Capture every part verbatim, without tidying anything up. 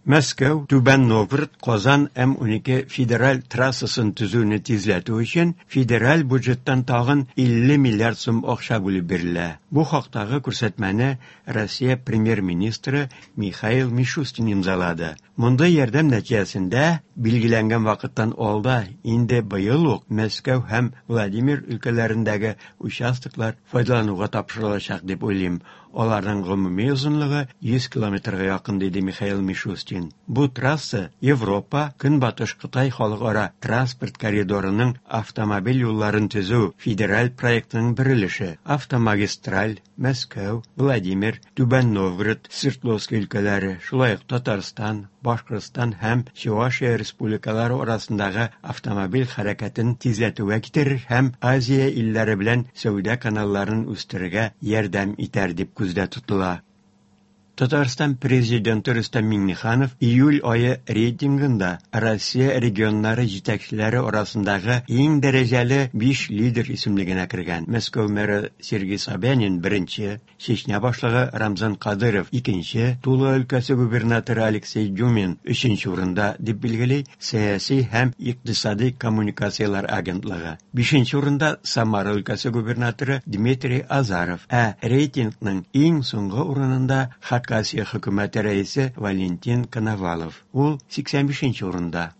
Мәскәү, Түбән Новгород, Казан М унике федераль трассасын төзүне тизләтү өчен федераль бюджеттан тагын илле миллиард сум акча бүлеп бирелә. Бу хактагы күрсәтмәне Россия премьер-министры Михаил Мишустин имзалады. Мондый ярдәм нәтиҗәсендә билгеләнгән вакыттан алда инде быел ук Мәскәү һәм Владимир өлкәләрендәге участоклар файдалануга тапшырылачак дип уйлыйм. Аларның гомуми озынлыгы йөз километрга якын, диде Михаил Мишустин. Бу трасса Европа, Көнбатыш Кытай халыкара транспорт коридорының автомобиль юлларын төзү федераль проектының бер өлеше. Автомагистраль Мәскәү, Владимир, Түбән Новгород, Свердловск өлкәләре, шулай ук Татарстан, Башкортстан һәм Чувашия республикалары арасындагы автомобиль хәрәкәтен тизләтүгә китерер һәм Азия илләре белән сәүдә каналларын үстерергә ярдәм итәр дип күздә тотыла. Татарстан президенты Рөстәм Миңнеханов июль ае рейтингында Россия регионнары җитәкчеләре арасындагы иң дәрәҗәле биш лидер исемлегенә кергән. Мәскәү мэры Сергей Собянин беренче, Чечня башлыгы Рамзан Кадыров икенче, Тула өлкәсе губернаторы Алексей Дюмин өченче урында дип билгели сәяси һәм икътисади коммуникацияләр агентлыгы. Бишенче урында Самара өлкәсе губернаторы Дмитрий Азаров, ә рейтингның иң соңгы урынында Хакасия хөкүмәте рәисе Валентин Коновалов. Ул сиксән бишенче урында.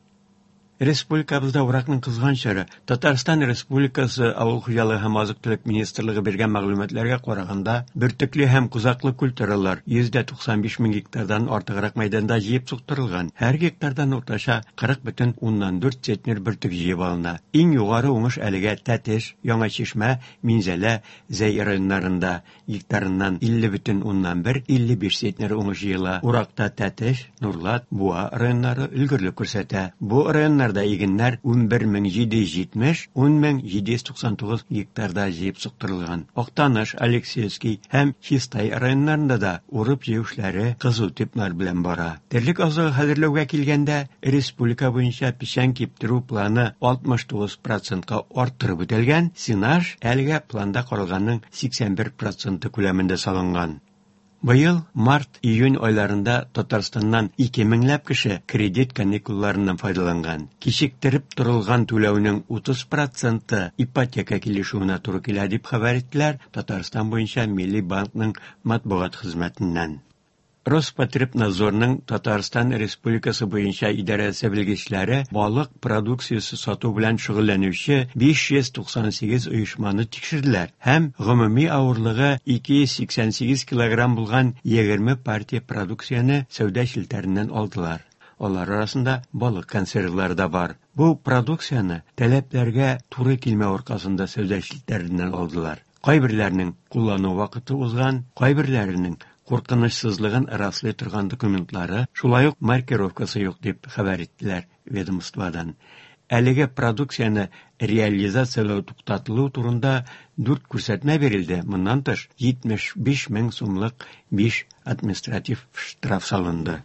Республикабызда уракның кызган чоры. Татарстан Республикасы Авыл хуҗалыгы һәм азык-төлек министрлыгы биргән мәгълүматларга караганда, бөртекле һәм кузаклы культуралар йөз дә туксан биш мең гектардан артыграк мәйданда җыеп суктырылган. Һәр гектардан уртача кырык бөтен уннан дүрт центнер бөртек җыеп алына. Иң югары уңыш әлегә Тәтеш, Яңа Чишмә, Минзәлә, Зәй районнарында гектарыннан илле бөтен уннан бер, илле биш центнер уңыш җыела. Уракта Тәтеш, Нурлат, Буа районнары өлгерлек күрсәтә. Бу районнарда игеннәр унбер мең җиде йөз җитмеш, ун мең җиде йөз туксан тугыз гектарда җыеп суктырылган. Актаныш, Алексеевский һәм Чистай районнарында да урып җыю эшләре кызу темплар белән бара. Терлек азыгы хәзерләүгә килгәндә, республика буенча печән киптерү планы алтмыш тугыз процентка арттырып үтелгән, сенаж әлегә планда каралганның сиксән бер проценты күләмендә салынган. Быел март-июнь айларында Татарстаннан ике меңләп кеше кредит каникулларыннан файдаланган. Кичектереп торылган түләүнең утыз проценты ипотека килешүенә туры килә дип хәбәр иттеләр Татарстан буенча Милли банкның матбугат хезмәтеннән. Роспотребнадзорның Татарстан Республикасы буенча идарәсе белгечләре балык продукциясе сату белән шөгыльләнүче биш йөз туксан сигез оешманы тикшерделәр һәм гомуми авырлыгы ике йөз сиксән сигез килограмм булган егерме партия продукцияне сәүдә челтәреннән алдылар. Алар арасында балык консервлары да бар. Бу продукцияне таләпләргә туры килмәү аркасында сәүдә челтәреннән алдылар. Кайберләренең куллану вакыты узган, кайберләренең куркынычсызлыгын раслый торган документлары, шулай ук маркировкасы юк дип хәбәр иттеләр ведомстводан. Әлеге продукцияне реализацияләү туктатылу турында дүрт күрсәтмә бирелде. Моннан тыш, җитмеш биш мең сумлык биш административ штраф салынды.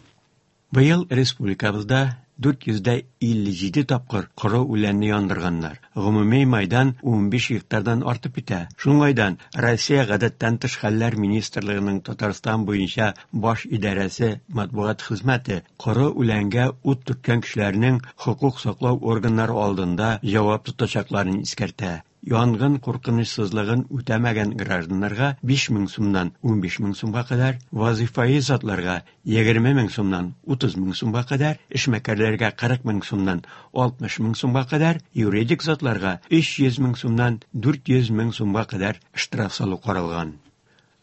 Быел республикабызда дүрт йөз дә илле җиде тапкыр коры үләнне яндырганнар. Гомуми майдан унбиш гектардан артып китә. Шуңайдан Россия Гадәттән тыш хәлләр министрлыгының Татарстан буенча баш идарәсе матбугат хезмәте коры үләнгә ут төрткән кешеләрнең хокук саклау органнары алдында җавап тотачакларын искәртә. Янгын куркынычсызлыгын үтәмәгән гражданнарга биш мең сумнан унбиш мең сумга кадәр, вазифаи затларга егерме мең сумнан утыз мең сумга кадәр, эшмәкәрләргә кырык мең сумнан алтмыш мең сумга кадәр, юридик затларга өч йөз мең сумнан дүрт йөз мең сумга кадәр штраф салу каралган.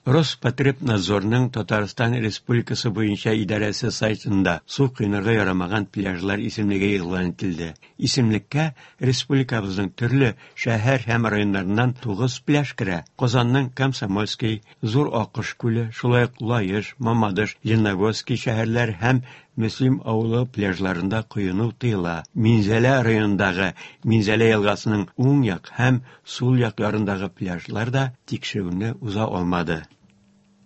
Роспотребнадзорның Татарстан Республикасы буенча идарәсе сайтында су коенырга ярамаган пляжлар исемлеге игълан ителде. Исемлеккә республикабызның төрле шәһәр һәм районнарыннан тугыз пляж керә. Казанның Комсомольский, Зур Акыш күле, шулай ук Лаеш, Мамадыш, Лениногорский шәһәрләр һәм Мөслим авылы пляжларында коену тыела. Минзәлә районындагы Минзәлә елгасының уң як һәм сул як ярындагы пляжлар да тикшерүне уза алмады.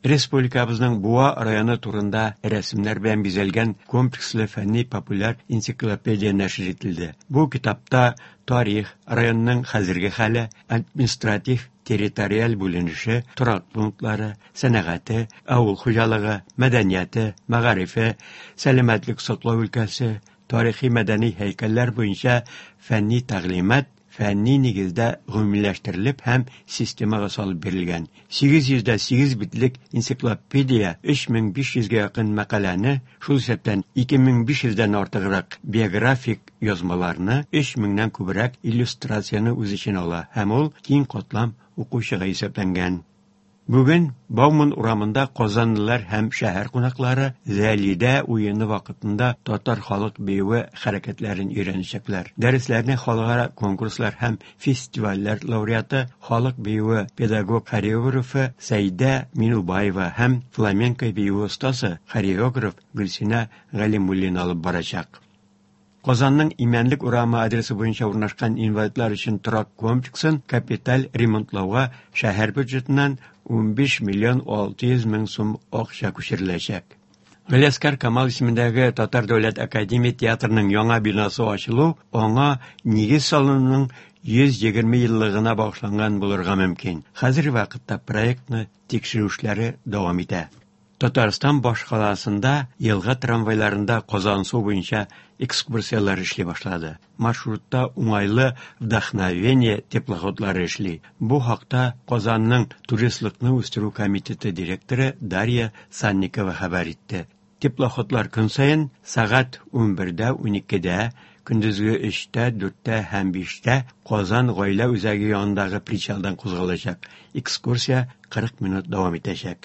Республикабызның Буа районы турында рәсемнәр белән бизәлгән комплекслы фәнни популяр энциклопедия нәшер ителде. Бу китапта тарих, районның хәзерге хәле, административ территориаль бүленеше, торак пунктлары, сәнәгате, авыл хуҗалыгы, мәдәнияте, мәгарифе, сәламәтлек саклау өлкәсе, тарихи-мәдәни һәйкәлләр буенча фәнни тәгълимат фәнни нигездә гомумиләштерелеп һәм системага салып бирелгән. сигез йөз дә сигез битлек энциклопедия өч мең биш йөзгә якын мәкаләне, шул исәптән ике мең биш йөздән артыграк биографик язмаларны, өч меңнән күбрәк иллюстрацияне үз эченә ала һәм ул киң катлам укучыга исәпләнгән. Бүген Бауман урамында казанлылар һәм шәһәр кунаклары Зәлидә уены вакытында татар халык биюе хәрәкәтләрен өйрәнәчәкләр. Дәресләрне халыкара конкурслар һәм фестивальләр лауреаты, халык биюе педагог-хореографы Сәйдә Минубаева һәм фламенко биюе остасы, хореограф Гөлсинә Галимуллина алып барачак. Казанның Имәнлек урамы адресы буенча урнашкан инвалидлар өчен торак комплексын капиталь ремонтлауга шәһәр бюджетыннан унбиш миллион алты йөз мең сум акча күчереләчәк. Галиәсгар Камал исемендәге Татар дәүләт академия театрының яңа бинасы ачылу аңа нигез салынуның йөз егерме еллыгына багышланган булырга мөмкин. Хәзерге вакытта проектны тикшерү эшләре дәвам итә. Татарстан башкаласында елга трамвайларында Казансу буенча экскурсияләр эшли башлады. Маршрутта уңайлы вдохновение теплоходлары эшли. Бу хакта Казанның туристлыкны үстерү комитеты директоры Дарья Санникова хәбәр итте. Теплоходлар көн саен сәгать унбердә, уникедә, көндезге өчтә, дүрттә һәм биштә Казан гаилә үзәге янындагы причалдан кузгалачак. Экскурсия кырык минут дәвам итәчәк.